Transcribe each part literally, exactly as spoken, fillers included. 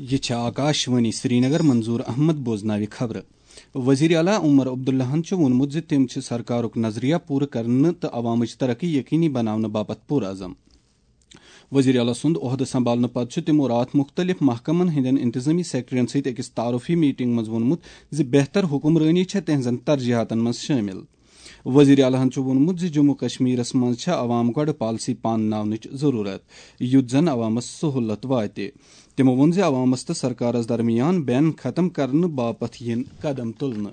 یہِ چھِ آکاش وانی سرینگر۔ منظور احمد بوزناوِ خبرٕ۔ وزیر اعلیٰ عمر عبداللہَن چھُ ووٚنمُت زِ تِم چھِ سرکارُک نظریہ پوٗرٕ کرنہٕ تہٕ عوامٕچ ترقی یقینی بناونہٕ باپتھ پُرعزم۔ وزیر اعلیٰ سُنٛد عہدٕ سنبھالنہٕ پتہٕ چھُ تِمو راتھ مُختٔلِف محکمن ہٕنٛدٮ۪ن انتظٲمی سیکرٹریَن سۭتۍ أکِس تعارفی میٹنگ منٛز ووٚنمُت زِ بہتر حکمرٲنی چھےٚ تِہنٛزن ترجیحاتن منٛز شٲمِل۔ وزیر اعلیٰ ہَن چھُ ووٚنمُت زِ جموں کشمیرس منٛز چھےٚ عوام گۄڈٕ پالیسی پانناونٕچ ضروٗرت، یُتھ زن عوامس سہولت واتہِ۔ تِمو ووٚن زِ عوامس تہٕ سرکارس درمیان بین ختم کرنہٕ باپتھ یِن قدم تُلنہٕ۔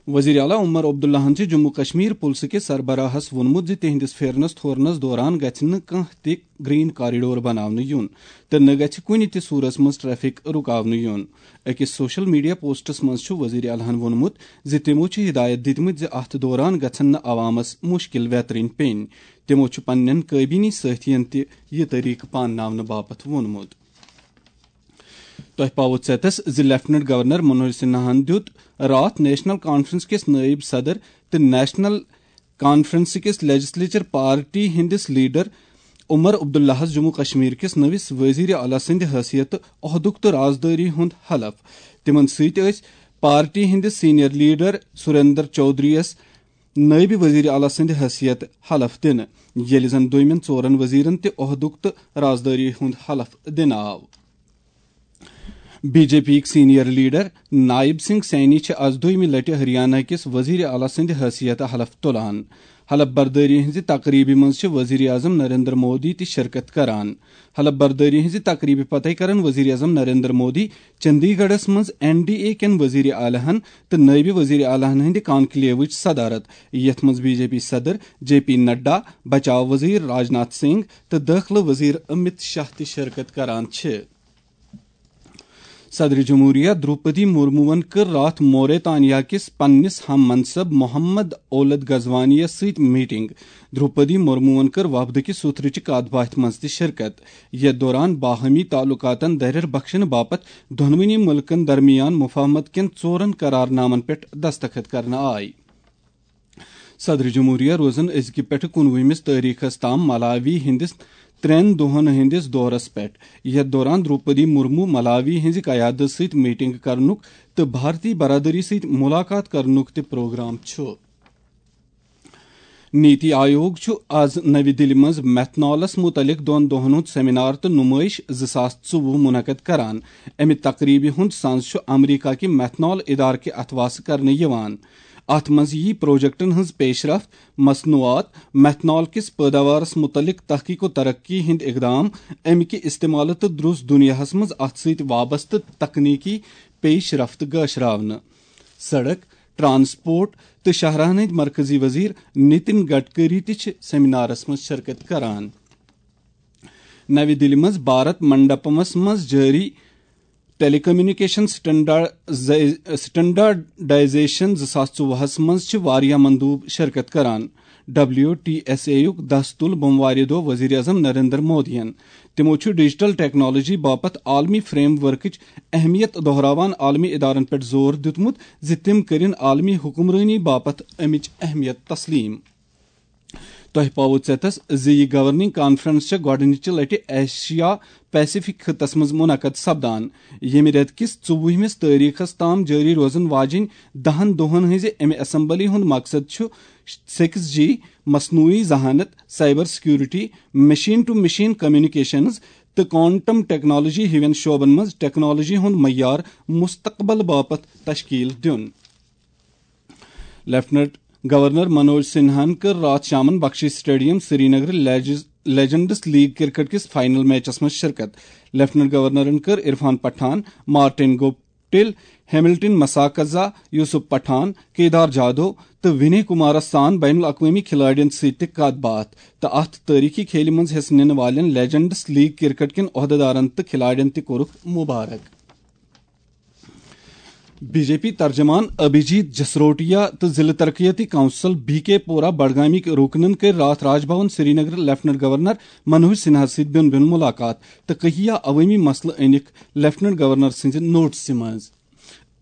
وزیر اعلیٰ عمر عبداللہَن چھِ جموں کشمیر پُلسہٕ کِس سربراہس ووٚنمُت زِ تِہنٛدِس پھیرنس تھورنس دوران گژھِ نہٕ کانٛہہ تہِ گرین کاریڈور بناونہٕ یُن تہٕ نہ گژھِ کُنہِ تہِ صورتس منٛز ٹریفک رُکاونہٕ یُن۔ أکِس سوشل میڈیا پوسٹس منٛز چھُ وزیر اعلیٰ ہَن ووٚنمُت زِ تِمو چھِ ہدایت دِتمٕتۍ زِ اتھ دوران گژھن نہٕ عوامس مُشکل ویترٕنۍ پیٚنۍ۔ تِمو چھُ پننٮ۪ن کابینی سٲتھین تہِ یہِ طریقہٕ پانناونہٕ باپتھ ووٚنمُت۔ تۄہہِ پاوو ژیتس زِ لیفٹیننٹ گورنر منوج سنہاہن دیُت راتھ نیشنل کانفرنس کِس نٲیِب صدر تہٕ نیشنل کانفرنس کِس لیجسلیچر پارٹی ہٕنٛدِس لیڈر عمر عبداللہس جموں کشمیر کِس نٔوِس وزیر اعلیٰ سٕنٛدِ حیثیتہٕ عہدُک تہٕ رازدٲری ہُنٛد حلف۔ تِمن سۭتۍ ٲسۍ پارٹی ہٕنٛدِس سینئر لیڈر سریندر چودھری یس نٲیِب وزیر اعلیٰ سٕنٛدِ حیثیت حلف دِنہٕ، ییٚلہِ زن دوٚیمٮ۪ن ژورن وزیرن تہِ عہدُک تہٕ رازدٲری ہُنٛد حلف دِنہٕ آو۔ بی جے پی یِکۍ سینئر لیڈر نائب سنگھ سینی چھِ از دوٚیمہِ لٹہِ ہریانہ کِس وزیر اعلیٰ سٕنٛدِ حیثیت حلف تُلان۔ حلف بردٲری ہٕنٛزِ تقریبہِ منٛز چھِ وزیر اعظم نریندر مودی تہِ شرکت کران۔ حلف بردٲری ہٕنٛزِ تقریبہِ پتَے کرن وزیر اعظم نریندر مودی چندی گڑھس منٛز این ڈی اے کٮ۪ن وزیر اعلیٰ ہن تہٕ نٲیِب وزیر اعلیٰ ہن ہٕنٛدِ کانکلیوٕچ صدارت، یتھ منٛز بی جے پی صدر جے پی نڈا، بچاو وزیر راجناتھ سنگھ تہٕ دٲخلہٕ وزیر امت شاہ تہِ شرکت کران چھِ۔ صدر جمہوریہ دروپدی مرموون کٔر راتھ موریتانیا کِس پننِس ہم منصب محمد اولد غزوانی یس سۭتۍ میٹنگ۔ دروپدی مرموون کٔر وفدٕکہِ سترٕچہِ کتھ باتھِ منٛز تہِ شرکت، یتھ دوران باہمی تعلقاتن دریر بخشنہٕ باپتھ دۄنوٕنی مُلکن درمیان مفاہمت کٮ۪ن ژورن قرار نامن پٮ۪ٹھ دستخط کرنہٕ آے۔ صدر جمہوریہ روزن أزکہِ پٮ۪ٹھٕ کُنوُہمِس تٲریخس تام ملاوی ہٕنٛدِس ترٛٮ۪ن دۄہن ہٕنٛدِس دورس پٮ۪ٹھ، یتھ دوران دروپدی مرمو ملاوی ہٕنٛزِ قیادت سۭتۍ میٹنگ کرنُک تہٕ بھارتی برادری سۭتۍ ملاقات کرنُک تہِ پروگرام چھُ۔ نیتی آیوگ چھُ از نَوِ دِلہِ منٛز میتھنالس مُتعلق دۄن دۄہن ہُنٛد سیمینار تہٕ نُمٲیش زٕ ساس ژوٚوُہ منعقد کران۔ امہِ تقریبہِ ہُنٛد سنز چھُ امریکہ کہِ میتھنال ادارٕ کہِ اتھواسہٕ کرنہٕ یِوان۔ اتھ منٛز یِیہِ پروجیکٹن ہٕنٛز پیشرفت، مصنوعات، میتھنال کِس پٲداوارس مُتعلق تحقیق و ترقی ہٕنٛدۍ اقدام، امہِ کہِ استعمالہٕ تہٕ درُس دُنیاہس منٛز اتھ سۭتۍ وابستہٕ تکنیکی پیش رفت گٲشراونہٕ۔ سڑک، ٹرانسپورٹ تہٕ شاہراہن ہٕنٛدۍ مرکزی وزیر نتن گڈکری تہِ چھِ سیمینارس منٛز شرکت کران۔ نَوِ دِلہِ منٛز بھارت منڈپمس منٛز جٲری ٹیلی کمیونیکیشن سٹینڈارڈ-، سٹینڈارڈائزیشن زٕ ساس ژوٚوُہس منٛز چھِ واریاہ مندوب شرکت کران۔ ڈبلیو ٹی ایس اے یُک دستُل بوموارِ دۄہ وزیر اعظم نریندر مودیَن۔ تِمو چھُ ڈیجیٹل ٹیکنالوجی باپتھ عالمی فریم ورکٕچ اہمیت دۄہراوان عالمی ادارن پٮ۪ٹھ زور دیُتمُت زِ تِم کٔرِن عالمی حکمرٲنی باپتھ امِچ اہمیت تسلیم۔ تۄہہِ پاوو ژیتس زِ یہِ گورننگ کانفرنس چھےٚ گۄڈٕنِچہِ لٹہِ ایشیا پیسیفک خطس منٛز منعقد سپدان، ییٚمہِ رٮ۪تہٕ کِس ژوٚوُہمِس تٲریخس تام جٲری روزن واجِنۍ دہن دۄہن ہٕنٛزِ امہِ اسمبلی ہُنٛد مقصد چھُ سِکِس جی، مصنوعی ذہانت، cyber security, machine to machine communications تہٕ کوانٹم ٹیکنالوجی ہِوٮ۪ن شعبن منٛز ٹیکنالوجی ہُنٛد معیار مستقبل باپتھ تشکیل دیُن۔ لیفٹیننٹ گورنر منوج سنہاہن کٔر راتھ شامن بخشی سٹیڈیم سرینگر لیجز-، لیجنڈس لیگ کرکٹ کِس فائنل میچس منٛز شرکت۔ لیفٹیننٹ گورنرن کٔر Irfan Pathan, Martin Guptill, Hamilton Masakadza, Yusuf Pathan, Kedar Jadhav Vinay ونے کمارس سان بین الاقوٲمی کھلاڑین سۭتۍ تہِ کتھ باتھ تہٕ اتھ تٲریخی کھیلہِ منٛز حصہٕ نِنہٕ والٮ۪ن لیجنڈس لیگ کرکٹ کٮ۪ن عہدیدارن تہٕ کھلاڑین تہِ کوٚرُکھ مبارک۔ بی جے پی ترجمان ابھیجیت جسروٹیا تہٕ ضلع ترقیتی کونسل بی کے پورہ بڈگامٕکۍ رُکنن کٔرۍ راتھ راج بھون سرینگر لیفٹیننٹ گورنر منوج سنہا سۭتۍ بیوٚن بیوٚن ملاقات تہٕ کہیا عوٲمی مسلہٕ أنِکھ لیفٹیننٹ گورنر سٕنٛزِ نوٹسہِ منٛز۔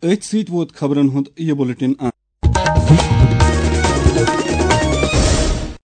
أتھۍ سۭتۍ ووت خبرن ہُنٛد یہِ بلیٹن انت۔